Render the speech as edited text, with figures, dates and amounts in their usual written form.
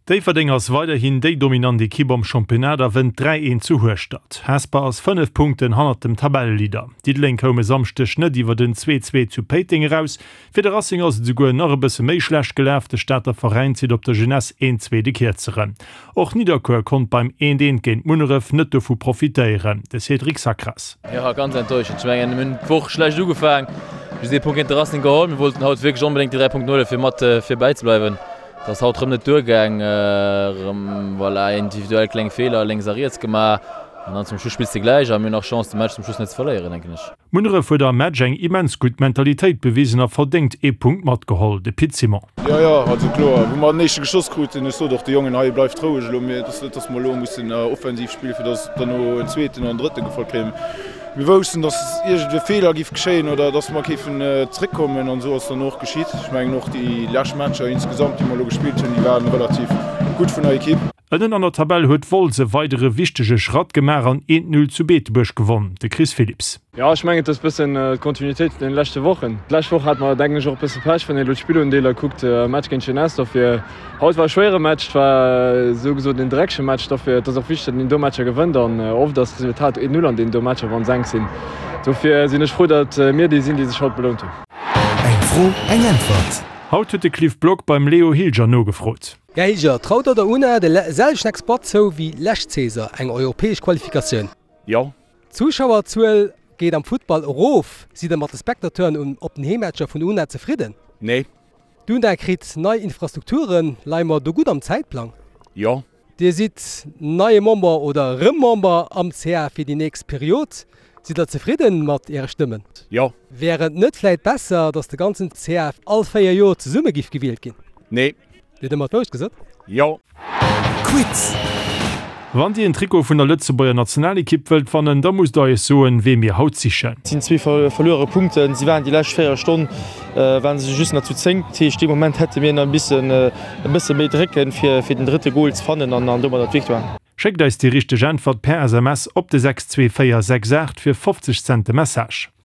Déifferdeng ass weiderhin déi dominant Ekipp am Championnat a wënnt 3, 1 zu Hueschtert. Hesper ass 5 Punkten hannert dem Tabelleleader. Diddeleng koum e Samschdeg net iwwer en 2, 2 zu Péiteng eraus. Fir de Racing ass et esouguer nach e bësse méi schlecht gelaf, de Stater Veräin zitt op der Jeunesse een zweete Kierzeren. Och Nidderkuer konnt beim 1, 1 géint Munneref net dovu profitéieren. De Cédric Sacras. Jo, ganz enttäuschend. Ech mengen, mir hunn d'Woch schlecht ugefaang, just ee Punkt géint de Racing geholl. Mir wollten haut wierklech onbedéngt déi 3 Punkten huelen, fir mat virbäi ze bleiwen. Et ass haut rëm net duergaang, rëm voilà individuell kleng Feeler lénks a riets gemaach an dann zum Schluss spills de gläich a mir hunn nach Chance de Match zum Schluss net ze verléieren, denken ech. Munneref huet am Match eng immens gutt Mentalitéit bewisen a verdéngt ee Punkt matgeholl. De Pit Simon. Jo, jo, also kloer, wou mer den éischte geschoss kruten, ech sot och de Jongen, hei bleift roueg elo, mir, et ass net, dass mer elo mussen offensiv spillen, fir dass derno en zweeten an en drëtte gefollt kréien. Mir woussten, dass iergendwéi Feeler giff geschéien oder dass mer géifen zréckkommen an esou ass dann och geschitt. Ech mengen och déi lescht Matcher insgesamt, déi mer elo gespillt hunn, déi waren relativ gutt vun der Ekipp. Ënnen an der Tabell huet Wolz e weidere wichtege Schratt gemaach an 1, 0 zu Beetebuerg gewonn. De Chris Philipps. Jo, ech mengen et ass bëssen d'Kontinuitéit vun den leschte Wochen. D'lescht Woch hate mer denken ech och e bësse Pech, wann een elo d'Spillundeeler kuckt am Match géint Jeunesse. Dofir haut war e schwéiere Match, et war esou gesot en dreckege Match. Dofir et ass och wichteg, datt een do Matcher gewënnt an oft ass d'Resultat 1, 0 an deenen do Matcher, wann se enk sinn. Dofir sinn ech frou, datt mir déi sinn, déi sech haut belount hunn. Eng Fro, eng Äntwert. Haut huet de Cliff Block beim Leo Hilger nogefrot. Här Hilger, traut der der UNA de selwechten Exploit zou wéi lescht Saison, eng europäesch Qualifikatioun? Jo. D'Zuschauerzuel geet am Futtball erof. Sidd der mat de Spectateuren op den Heemmatcher vun UNA zefridden? Nee. D'UNA kritt nei Infrastrukturen. Leie mer do gutt am Zäitplang? Jo. Dir sidd neie Member oder erëm Member am CA fir déi nächst Period. Sidd der zefridden mat äre Stëmmen? Jo. Wär et net vläit besser, datt de ganzen CA all 4 Joer zesumme giff gewielt ginn? Nee. Dir hutt ëmmer d'Wourecht gesot? Jo. Quiz! Wann Dir en Trikot vun der Lëtzebuerger Nationalekipp wëllt wannen, da musst der eis soen, wee mir haut sichen. Et sinn zwee verluere Punkten. Si waren déi lescht 4 Stonn waren se just nach zu 10. Dat heescht, dee Moment hätte mir nach e bissen e bësse méi drécken, fir fir den drëtte Gol ze fannen an an domadder d'Victoire. Schéckt eis déi richteg Äntwert per SMS op de 62468 fir 50 Cent de Message.